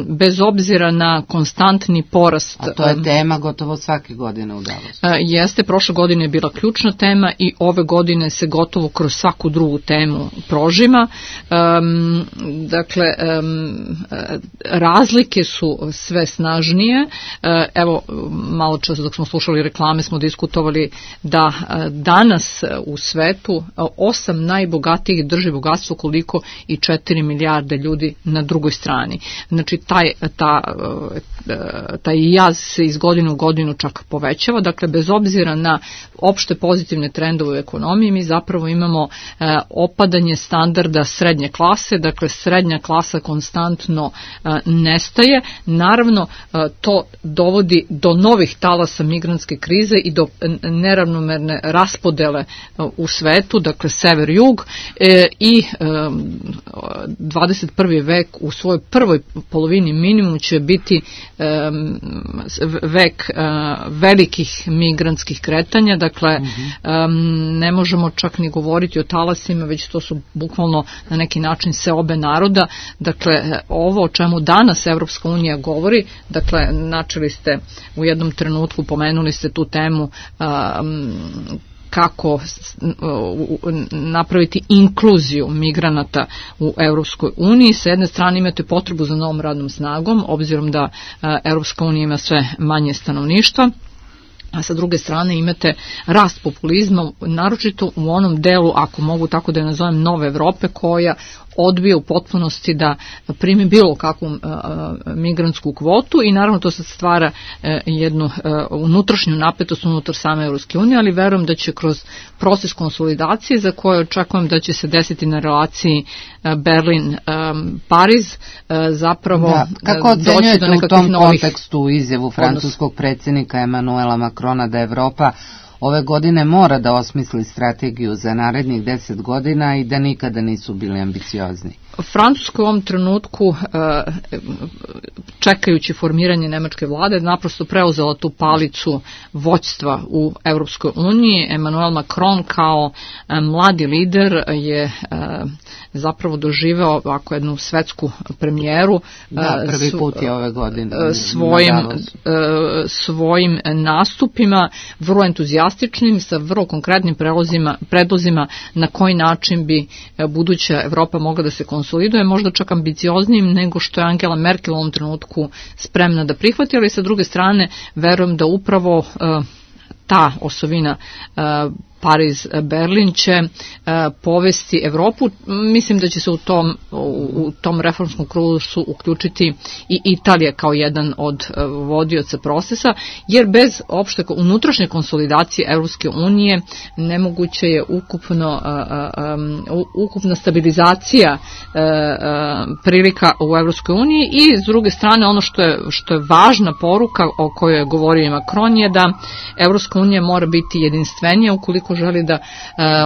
bez obzira na konstantni porast... A to je tema gotovo svake godine u Davosu. Jeste, prošle godine je bila ključna tema i ove godine se gotovo kroz svaku drugu temu prožima. Dakle, razlike su sve snažnije. Evo, malo čas dok smo slušali reklame smo diskutovali da danas u svetu 8 najbogatijih drži bogatstvo koliko i 4 milijarde ljudi na drugoj strani. Znači, taj jaz se iz godine u godinu čak povećava. Dakle, bez obzira na opšte pozitivne trendove u ekonomiji, mi zapravo imamo opadanje standarda srednje klase. Dakle, srednja klasa konstantno nestaje. Naravno, to dovodi do novih talasa migrantske krize i do neravnomerne raspodele u svetu, dakle sever-jug, i 21. vek u svojoj prvoj polovini minimum će biti vek velikih migrantskih kretanja, dakle ne možemo čak ni govoriti o talasima, već to su bukvalno na neki način seobe naroda. Dakle, ovo o čemu danas Evropska unija govori, dakle, načeli ste u jednom trenutku, pomenuli ste tu temu kako napraviti inkluziju migranata u Europskoj uniji. Sa jedne strane imate potrebu za novom radnom snagom, obzirom da Europska unija ima sve manje stanovništva, a sa druge strane imate rast populizma, naročito u onom delu, ako mogu tako da je nazovem, nove Evrope, koja odbije u potpunosti da primi bilo kakvu migrantsku kvotu i naravno to se stvara jednu unutrašnju napetost unutar same Europske unije, ali verujem da će kroz proces konsolidacije za koje očekujem da će se desiti na relaciji Berlin-Pariz zapravo kako doći do nekakvih novih... Kako ocenjujete u tom kontekstu izjavu francuskog predsjednika Emanuela Macrona da Evropa ove godine mora da osmisli strategiju za narednih 10 godina i da nikada nisu bili ambiciozni. Francuska u ovom trenutku, čekajući formiranje nemačke vlade, naprosto preuzela tu palicu vođstva u Evropskoj uniji. Emmanuel Macron kao mladi lider je zapravo doživeo ovako jednu svetsku premijeru. Prvi put je ove godine. Svojim nastupima, vrlo entuzijastičnim, sa vrlo konkretnim predlozima na koji način bi buduća Evropa mogla da se konsoliduje, možda čak ambicioznijim nego što je Angela Merkel u ovom trenutku spremna da prihvati, ali sa druge strane verujem da upravo ta osovina Pariz-Berlin će povesti Evropu. Mislim da će se u tom reformskom krugu uključiti i Italija kao jedan od vodioca procesa, jer bez opšte unutrašnje konsolidacije Evropske unije nemoguće je ukupna stabilizacija prilika u Evropskoj uniji i s druge strane ono što je važna poruka o kojoj je govorio Macron je da Evropska unija mora biti jedinstvenija ukoliko želi da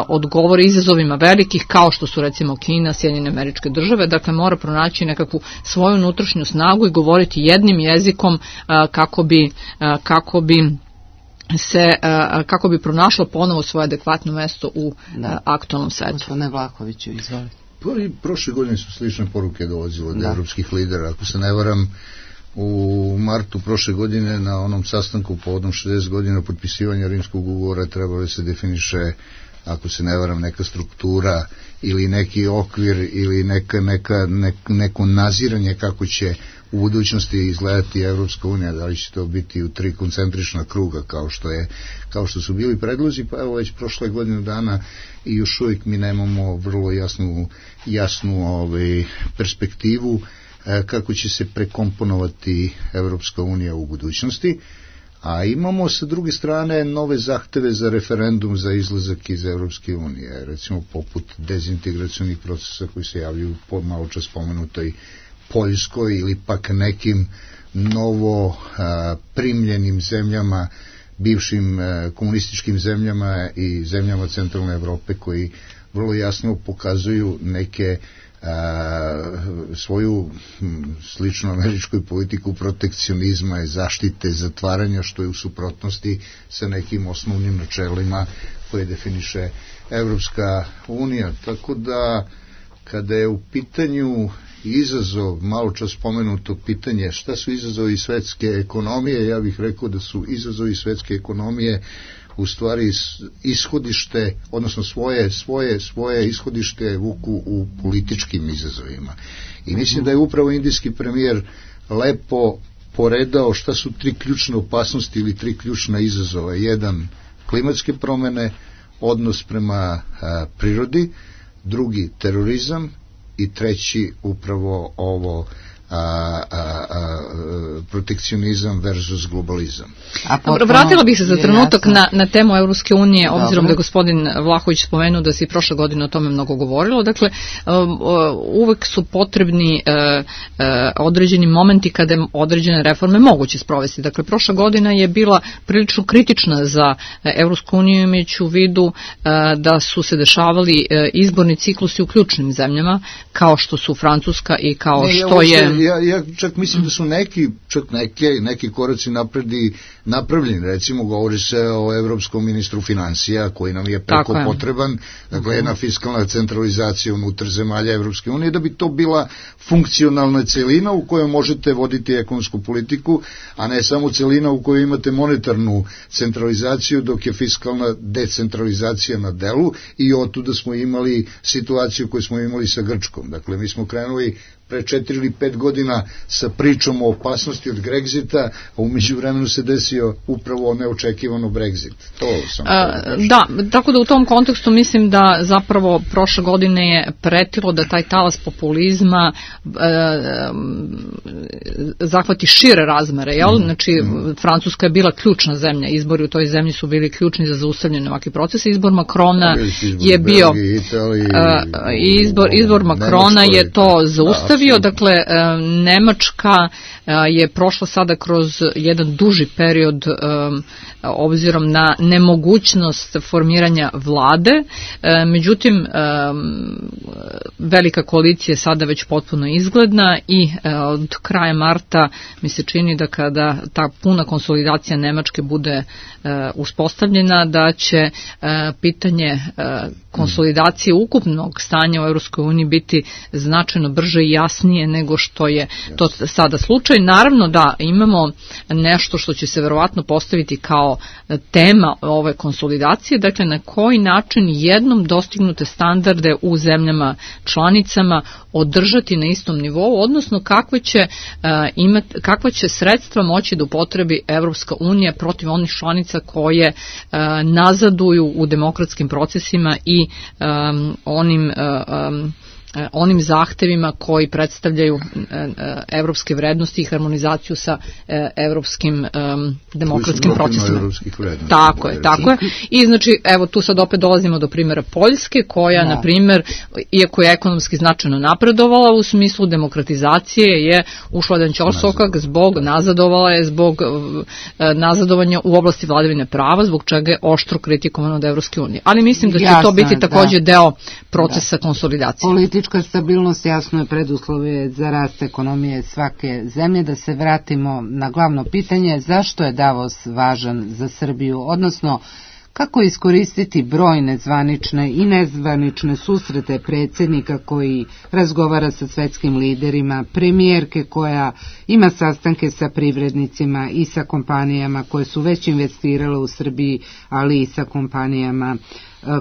odgovori izazovima velikih kao što su recimo Kina, Sjedinjene Američke Države, dakle mora pronaći nekakvu svoju unutrašnju snagu i govoriti jednim jezikom kako bi pronašlo ponovo svoje adekvatno mesto u aktualnom svetu. Gospodine Vlahoviću, izvolite. Prošle godine su slične poruke dolazile od evropskih lidera, ako se ne varam. U martu prošle godine na onom sastanku povodom 60 godina potpisivanja Rimskog ugovora trebalo se definiše, ako se ne varam, neka struktura ili neki okvir ili neko naziranje kako će u budućnosti izgledati Evropska unija, da li će to biti u 3 koncentrična kruga kao što su bili predlozi, pa evo već prošle godinu dana i još uvijek mi nemamo vrlo jasnu perspektivu kako će se prekomponovati Evropska unija u budućnosti, a imamo sa druge strane nove zahteve za referendum za izlazak iz Evropske unije, recimo poput dezintegracionih procesa koji se javljaju po malo čas spomenutoj Poljskoj ili pak nekim novo primljenim zemljama, bivšim komunističkim zemljama i zemljama centralne Evrope koji vrlo jasno pokazuju neke svoju sličnu američkoj politiku protekcionizma i zaštite zatvaranja, što je u suprotnosti sa nekim osnovnim načelima koje definiše Evropska unija. Tako da kada je u pitanju izazov, malo čas spomenuto pitanje šta su izazovi svetske ekonomije, ja bih rekao da su izazovi svetske ekonomije u stvari ishodište, odnosno svoje ishodište vuku u političkim izazovima. I mislim da je upravo indijski premijer lepo poredao šta su 3 ključne opasnosti ili 3 ključna izazova. 1, klimatske promene, odnos prema prirodi, 2, terorizam i 3, upravo ovo protekcionizam versus globalizam. Vratila bih se za trenutak na temu Evropske unije, obzirom da je gospodin Vlahović spomenuo da se i prošle godine o tome mnogo govorilo. Dakle, uvek su potrebni određeni momenti kada je određene reforme moguće sprovesti. Dakle, prošla godina je bila prilično kritična za Evropsku uniju, imajući u vidu da su se dešavali izborni ciklusi u ključnim zemljama, kao što su Francuska i kao što je... Ja čak mislim da su neki koraci napravljeni, recimo govori se o evropskom ministru financija koji nam je preko potreban, dakle jedna fiskalna centralizacija unutar zemalja Evropske unije, da bi to bila funkcionalna celina u kojoj možete voditi ekonomsku politiku, a ne samo celina u kojoj imate monetarnu centralizaciju, dok je fiskalna decentralizacija na delu, i otuda smo imali situaciju koju smo imali sa Grčkom. Dakle, mi smo krenuli pre 4 ili 5 godina sa pričom o opasnosti od Grexita, a umeđu vremenu se desio upravo neočekivano Brexit. To sam da, tako da u tom kontekstu mislim da zapravo prošle godine je pretilo da taj talas populizma zahvati šire razmere, jel? Znači, Francuska je bila ključna zemlja, izbori u toj zemlji su bili ključni za zaustavljanje ovakvih procesa. Izbor Macrona je bio izbor Macrona je to zaustavio postavio, dakle, Nemačka je prošla sada kroz jedan duži period obzirom na nemogućnost formiranja vlade, međutim velika koalicija je sada već potpuno izgledna i od kraja marta mi se čini da kada ta puna konsolidacija Nemačke bude uspostavljena, da će pitanje konsolidacije ukupnog stanja u Europskoj uniji biti značajno brže i jasnije nego što je to sada slučaj. Naravno da imamo nešto što će se verovatno postaviti kao tema ove konsolidacije, dakle na koji način jednom dostignute standarde u zemljama članicama održati na istom nivou, odnosno kakva će sredstva moći da upotrebi Evropska unija protiv onih članica koje nazaduju u demokratskim procesima i onim zahtevima koji predstavljaju evropske vrednosti i harmonizaciju sa evropskim demokratskim procesima. Tako je. I znači, evo tu sad opet dolazimo do primjera Poljske, koja, na primjer, iako je ekonomski značajno napredovala u smislu demokratizacije, je ušla jedan ćorsokak zbog nazadovanja u oblasti vladavine prava, zbog čega je oštro kritikovano od Evropske unije. Ali mislim da će to biti također deo procesa konsolidacije. Politička stabilnost jasno je preduslov za rast ekonomije svake zemlje. Da se vratimo na glavno pitanje, zašto je Davos važan za Srbiju, odnosno kako iskoristiti brojne zvanične i nezvanične susrete predsjednika koji razgovara sa svetskim liderima, premijerke koja ima sastanke sa privrednicima i sa kompanijama koje su već investirale u Srbiji, ali i sa kompanijama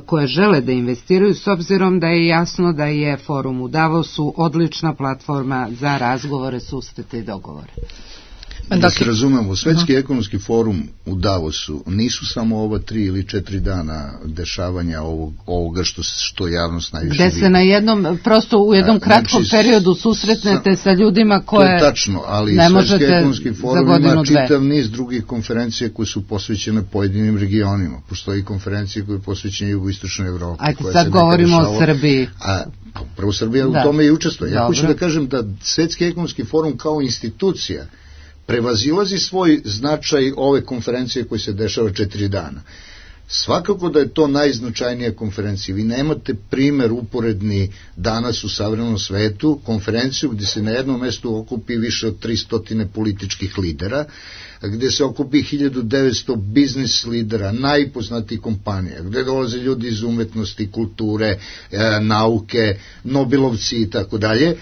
koje žele da investiraju, s obzirom da je jasno da je forum u Davosu odlična platforma za razgovore, susrete i dogovore. Da se razumemo, Svetski ekonomski forum u Davosu nisu samo ova 3 ili 4 dana dešavanja ovoga što javnost najviše vidi. Gde se na jednom, prosto u jednom kratkom periodu susretnete sa ljudima koje tačno, ali ne možete Svetski ekonomski forum ima čitav niz drugih konferencija koje su posvećene pojedinim regionima. Postoji konferencije koje je posvećene jugoistočnoj Evropi. Ajde, sad govorimo o Srbiji. Prvo Srbija u tome i učestvuje. Ja hoću da kažem da Svetski ekonomski forum kao institucija prevazilazi svoj značaj ove konferencije koje se dešava 4 dana. Svakako da je to najznačajnija konferencija. Vi nemate primer uporedni danas u savremenom svetu, konferenciju gdje se na jednom mjestu okupi više od 300 političkih lidera, gdje se okupi 1900 biznis lidera, najpoznatijih kompanija, gdje dolaze ljudi iz umetnosti, kulture, nauke, Nobelovci i tako dalje.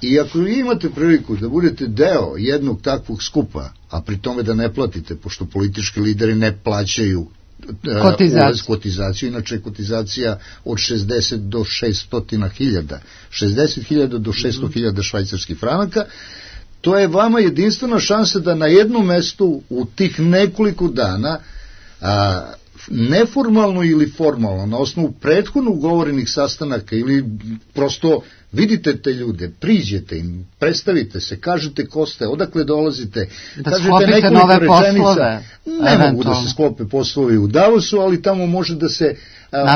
I ako vi imate priliku da budete deo jednog takvog skupa, a pri tome da ne platite, pošto politički lideri ne plaćaju kotizaciju, inače kotizacija od 60 do 600.000, 60.000 do 600.000 švajcarskih franaka, to je vama jedinstvena šansa da na jednom mestu u tih nekoliko dana neformalno ili formalno, na osnovu prethodno ugovorenih sastanaka ili prosto vidite te ljude, priđete im, predstavite se, kažete ko ste, odakle dolazite, da kažete nove poslove. Ne mogu da se sklope poslovi u Davosu, ali tamo može da se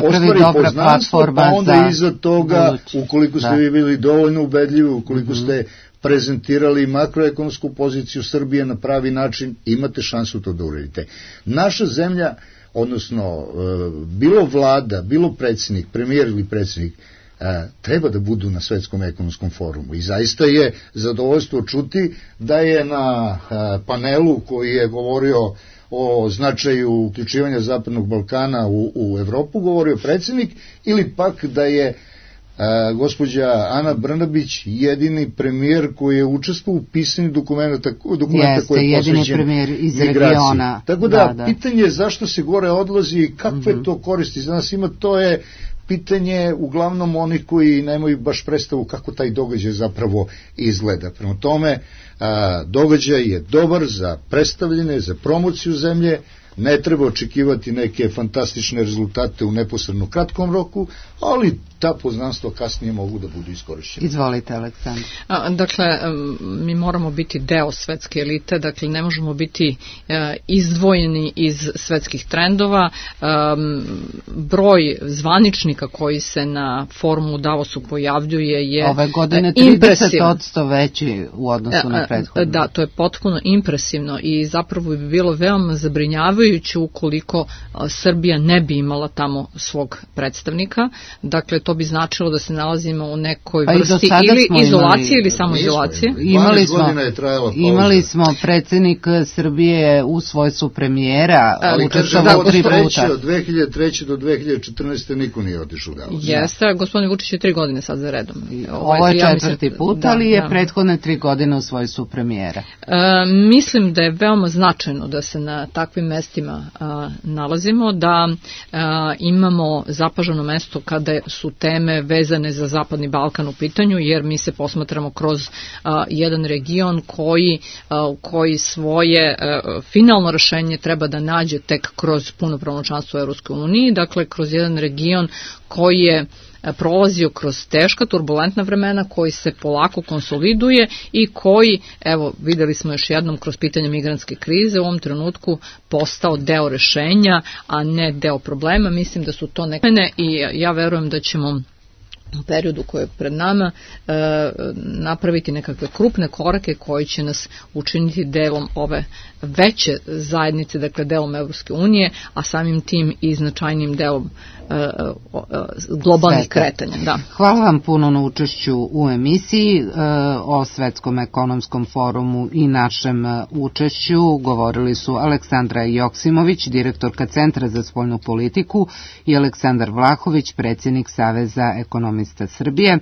ostvari poznanstvo, pa onda iza toga, ukoliko ste vi bili dovoljno ubedljivi, ukoliko ste prezentirali makroekonomsku poziciju Srbije na pravi način, imate šansu to da uradite. Naša zemlja, odnosno bilo vlada, bilo predsjednik, premijer ili predsjednik, treba da budu na Svetskom ekonomskom forumu. I zaista je zadovoljstvo čuti da je na panelu koji je govorio o značaju uključivanja Zapadnog Balkana u Evropu govorio predsjednik, ili pak da je gospođa Ana Brnabić jedini premijer koji je učestvovao u pisanju dokumenta koji je posveđen migraciji. Tako da, pitanje je zašto se gore odlazi i kakve to koristi za nas ima, to je pitanje uglavnom onih koji nemaju baš predstavu kako taj događaj zapravo izgleda. Prema tome, događaj je dobar za predstavljene, za promociju zemlje, ne treba očekivati neke fantastične rezultate u neposredno kratkom roku, ali ta poznanstva kasnije mogu da budu iskorišćene. Izvolite, Aleksandar. Dakle, mi moramo biti deo svetske elite, dakle ne možemo biti izdvojeni iz svetskih trendova. Broj zvaničnika koji se na forumu u Davosu pojavljuje je ove godine 30% veći u odnosu na prethodno. Da, to je potpuno impresivno i zapravo bi bilo veoma zabrinjavajuće ukoliko Srbija ne bi imala tamo svog predstavnika. Dakle, to bi značilo da se nalazimo u nekoj vrsti ili izolacije ili samoizolacije. Imali smo predsjednik Srbije u svojstvu premijera, učestvovao 3 puta. Od 2003. do 2014. niko nije otišao u Davos. Jeste, gospodin Vučić je 3 godine sad za redom. Ovo je 4. put, ali je prethodne 3 godine u svojstvu premijera. Mislim da je veoma značajno da se na takvim mestima nalazimo, da imamo zapaženo mesto kada su teme vezane za Zapadni Balkan u pitanju, jer mi se posmatramo kroz jedan region koji svoje finalno rešenje treba da nađe tek kroz punopravno članstvo u Evropskoj uniji, dakle kroz jedan region koji je prolazio kroz teška, turbulentna vremena, koji se polako konsoliduje i koji, evo, videli smo još jednom kroz pitanje migrantske krize, u ovom trenutku postao deo rešenja, a ne deo problema. Mislim da su to neke i ja verujem da ćemo u periodu koji je pred nama napraviti nekakve krupne korake koji će nas učiniti delom ove veće zajednice, dakle delom Evropske unije, a samim tim i značajnim delom globalnih kretanja. Da. Hvala vam puno na učešću u emisiji. O Svetskom ekonomskom forumu i našem učešću govorili su Aleksandra Joksimović, direktorka Centra za spoljnu politiku, i Aleksandar Vlahović, predsjednik Saveza ekonomista Srbije.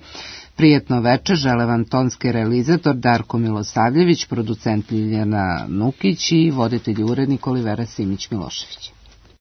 Prijetno veče žele vam tonski realizator Darko Milosavljević, producent Ljiljana Nukić i voditelj urednik Olivera Simić-Milošević.